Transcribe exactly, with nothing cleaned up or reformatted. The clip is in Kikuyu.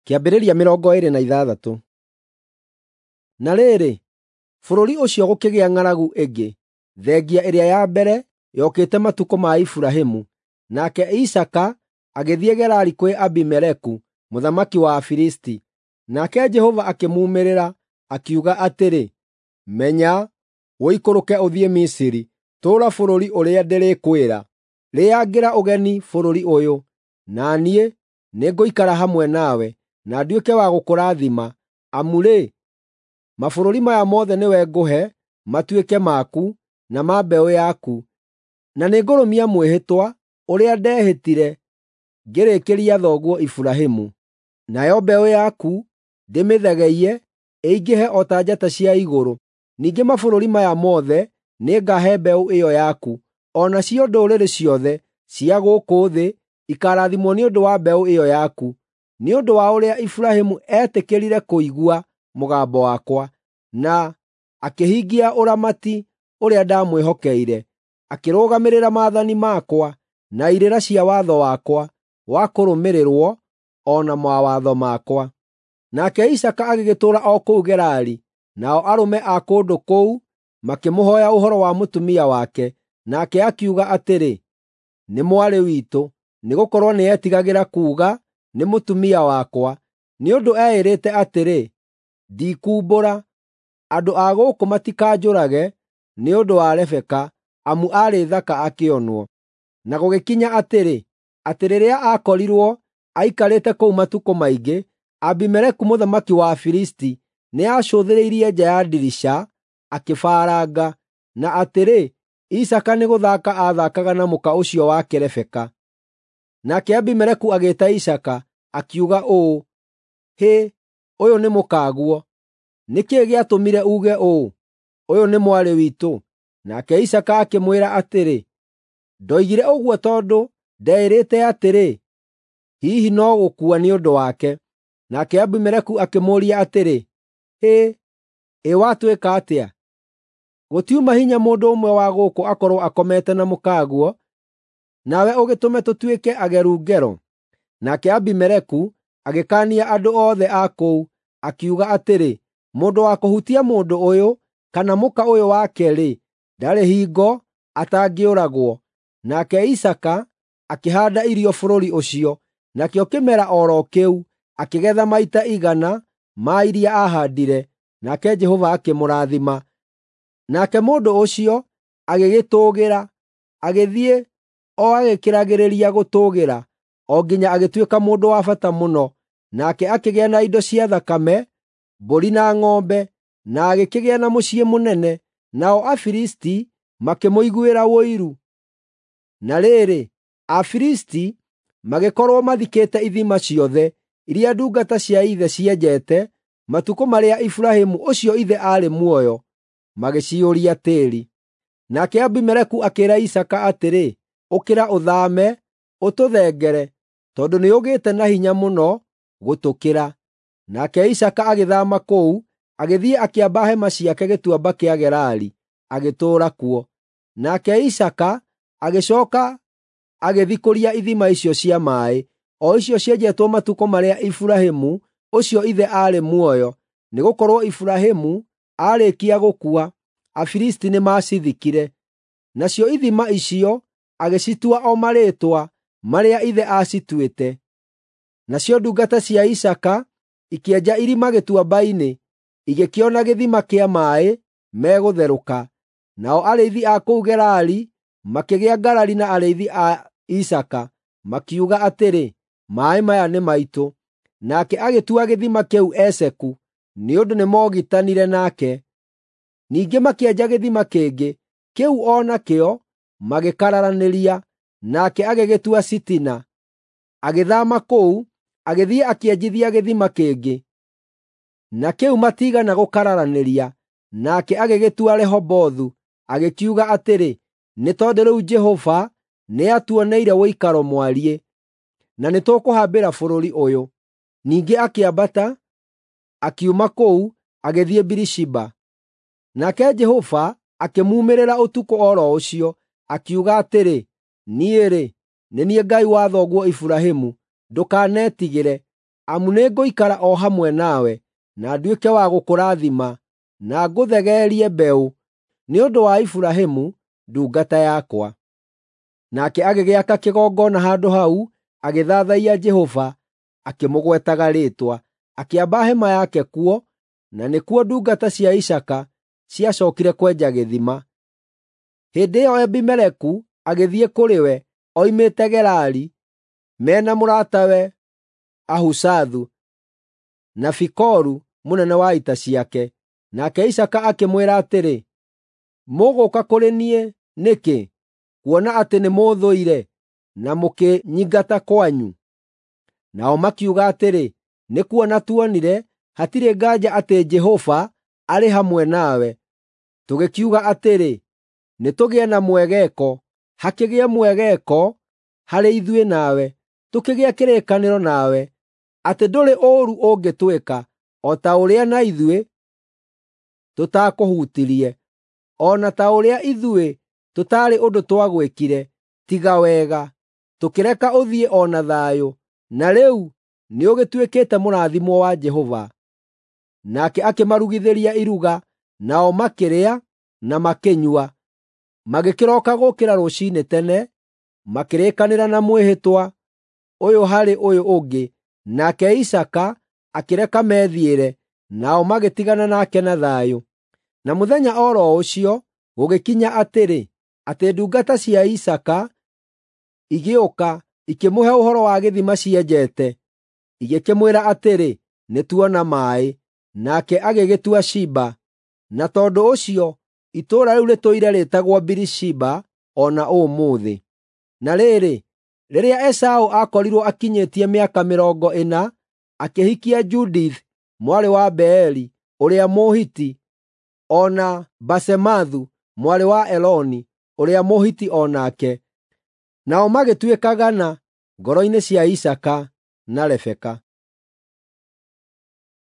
Kĩambĩrĩria mĩrongo ĩĩrĩ na ithathatũ. Na rĩrĩ, bũrũri ũcio gũkĩgĩa ng'aragu ĩngĩ, thengia ĩrĩa ya mbere yokĩte matukũ ma Iburahĩmu. Nake Isaaka agĩthiĩ Gerari kwĩ Abimeleku mũthamaki wa Afilisti. Nake Jehova akĩmuumĩrĩra, akiuga atĩrĩ, “Menya, ũikũrũke ũthiĩ Misiri, tũũra bũrũri ũrĩa ndĩrĩkwĩra. Rĩangĩra ũgeni bũrũri ũyũ, na niĩ nĩngũikara hamwe nawe, na nduĩke wa gũkũrathima, amu-rĩ, mabũrũri maya mothe nĩwe ngũhe matuĩke maku na ma mbeũ yaku, na nĩngũrũmia mwĩhĩtwa ũrĩa ndehĩtire ngĩrĩkĩria thoguo Iburahĩmu. Nayo mbeũ yaku ndĩmĩthegeiye ĩingĩhe o ta njata cia igũrũ, ningĩ mabũrũri maya mothe nĩngahe mbeũ ĩyo yaku, o nacio ndũrĩrĩ ciothe cia gũkũ thĩ ikaarathimwo nĩ ũndũ wa mbeũ ĩyo yaku, nĩ ũndũ wa ũrĩa Iburahĩmu eetĩkĩrire kũigua mũgambo wakwa, na akĩhingia ũramati ũrĩa ndamwĩhokeire, akĩrũgamĩrĩra maathani makwa na irĩra cia watho wakwa wa kũrũmĩrĩrwo o na mawatho makwa.” Nake Isaaka agĩgĩtũũra o kũu Gerari, nao arũme a kũndũ kũu makĩmũhooya ũhoro wa mũtumia wake, nake akiuga atĩrĩ, “Nĩ mwarĩ witũ,” nĩgũkorwo nĩetigagĩra kuuga, “Nĩ mũtumia wakwa,” nĩ ũndũ eĩrĩte atĩrĩ, “Ndikuumbũra, andũ a gũkũ matikanjũrage nĩ ũndũ wa Rebeka, amu aarĩ thaka akĩonwo.” Na gũgĩkinya atĩrĩ, atĩ rĩrĩa aakorirwo aikarĩte kũu matukũ maingĩ, Abimeleku mũthamaki wa Afilisti nĩacũthĩrĩirie nja ya ndirica akĩbaranga, na atĩrĩ, Isaaka nĩgũthaaka aathakaga na mũka ũcio wake Rebeka. Nake Abimeleku agĩĩta Isaaka, akiuga ũũ, “Hĩ, ũyũ nĩ mũkaguo! Nĩ kĩĩ gĩatũmire uuge ũũ, ‘Ũyũ nĩ mwarĩ witũ’?” Nake Isaaka akĩmwĩra atĩrĩ, “Ndoigire ũguo tondũ ndeĩrĩte atĩrĩ, ‘Hihi no gũkua nĩ ũndũ wake.’ ” Nake Abimeleku akĩmũũria atĩrĩ, “Hĩ, ĩ watwĩka atĩa? Gũtiuma hinya mũndũ ũmwe wa gũkũ akorwo akomete na mũkaguo, nawe ũgĩtũme tũtuĩke ageru ngero.” Nake Abimeleku agĩkaania andũ othe a kũu, akiuga atĩrĩ, “Mũndũ wa kũhutia mũndũ ũyũ kana mũka ũyũ wake-rĩ, ndarĩ hingo atangĩũragwo.” Nake Isaaka akĩhaanda irio bũrũri ũcio, nakĩo kĩmera o ro kĩu akĩgetha maita igana ma iria aahaandire, nake Jehova akĩmũrathima. Nake mũndũ ũcio agĩgĩtũũgĩra, agĩthiĩ o agĩkĩragĩrĩria gũtũũgĩra, o nginya agĩtuĩka mũndũ wa bata mũno, nake akĩgĩa na indo cia thakame, mbũri na ng'ombe, na agĩkĩgĩa na mũciĩ mũnene, nao Afilisti makĩmũiguĩra ũiru. Na rĩrĩ, Afilisti magĩkorwo mathikĩte ithima ciothe iria ndungata cia ithe cienjete matukũ marĩa Iburahĩmu ũcio ithe aarĩ muoyo, magĩciyũria tĩĩri. Nake Abimeleku akĩĩra Isaaka atĩrĩ, “Ũkĩra ũthaame, ũtũthengere, tondũ nĩũgĩte na hinya mũno gũtũkĩra.” Nake Isaaka agĩthaama kũu, agĩthiĩ akĩamba hema ciake gĩtuamba kĩa Gerari, agĩtũũra kuo. Nake Isaaka agĩcooka agĩthikũria ithima icio cia maaĩ, o icio cienjetwo matukũ marĩa Iburahĩmu ũcio ithe aarĩ muoyo, nĩgũkorwo Iburahĩmu aarĩkia gũkua, Afilisti nĩmacithikire. Nacio ithima icio agĩcitua o marĩĩtwa marĩa ithe aacituĩte. Nacio ndungata cia Isaaka ikĩenja irima gĩtuamba-inĩ, igĩkĩona gĩthima kĩa maaĩ megũtherũka. Nao arĩithi a kũu Gerari makĩgĩa ngarari na arĩithi a Isaaka, makiuga atĩrĩ, “Maaĩ maya nĩ maitũ.” Nake agĩtua gĩthima kĩu Eseku, nĩ ũndũ nĩmogitanire nake. Ningĩ makĩenja gĩthima kĩngĩ, kĩu o nakĩo magĩkararanĩria, nake agĩgĩtua Sitina. Agĩthaama kũu, agĩthiĩ akĩenjithia gĩthima kĩngĩ, na kĩu matiigana gũkararanĩria, nake agĩgĩtua Rehobothu, agĩkiuga atĩrĩ, “Nĩ tondũ rĩu Jehova nĩatuoneire ũikaro mwariĩ, na nĩtũkũhambĩra bũrũri ũyũ.” Ningĩ akĩambata, akiuma kũu, agĩthiĩ Birishiba. Nake Jehova akĩmuumĩrĩra ũtukũ o ro ũcio, akiuga atĩrĩ, “Niĩ-rĩ, nĩ niĩ Ngai wa thoguo Iburahĩmu. Ndũkanetigĩre. Amu nĩngũikara o hamwe nawe, na nduĩke wa gũkũrathima, na ngũthegeerie mbeũ, nĩ ũndũ wa Iburahĩmu ndungata yakwa. Nake agĩgĩaka kĩgongona handũ hau, agĩthathaiya Jehova, akĩmũgwetaga rĩĩtwa. Akĩamba hema yake kuo, na nĩkuo ndungata cia Isaaka ciacookire kwenja gĩthima. Hĩndĩ ĩyo Abimeleku agĩthiĩ kũrĩ we oimĩte Gerari, me na mũratawe Ahuzathu na Fikolu mũnene wa ita ciake. Nake Isaaka akĩmwĩra atĩrĩ, “Mũgũũka kũrĩ niĩ nĩkĩ, kuona atĩ nĩmũũthũire na mũkĩnyingata kwanyu?” Nao makiuga atĩrĩ, “Nĩ kuona tuonire hatirĩ nganja atĩ Jehova arĩ hamwe nawe. Tũgĩkiuga atĩrĩ, ‘Nĩtũgĩe na mwegeko, hakĩgĩe mwegeko harĩ ithuĩ nawe, tũkĩgĩe kĩrĩkanĩro nawe, atĩ ndũrĩ ũũru ũngĩtwĩka, o ta ũrĩa na ithuĩ tũtaakũhutirie, o na ta ũrĩa ithuĩ tũtaarĩ ũndũ twagwĩkire, tiga wega, tũkĩreka ũthiĩ o na thayũ, na rĩu nĩũgĩtuĩkĩte mũrathimwo wa Jehova.” Nake akĩmarugithĩria iruga, nao makĩrĩa na makĩnyua. Magĩkĩroka gũũkĩra rũciinĩ tene, makĩrĩkanĩra na mwĩhĩtwa ũyũ harĩ ũyũ ũngĩ, nake Isaaka akĩreka methiĩre, nao magĩtigana nake na thayũ. Na mũthenya o ro ũcio gũgĩkinya atĩrĩ, atĩ ndungata cia Isaaka igĩũka ikĩmũhe ũhoro wa gĩthima cienjete, igĩkĩmwĩra atĩrĩ, “Nĩtuona maaĩ.” Nake agĩgĩtua Shiba, na tondũ ũcio itũũra rĩu rĩtũire rĩĩtagwo Birishiba o na ũmũthĩ. Na rĩrĩ, rĩrĩa Esaũ aakorirwo akinyĩtie mĩaka mĩrongo ĩna, akĩhikia Judith mwarĩ wa Beeri ũrĩa Mũhiti, o na Basemathu mwarĩ wa Eloni ũrĩa Mũhiti o nake. Nao magĩtuĩka gana ngoro-inĩ cia Isaaka na Rebeka.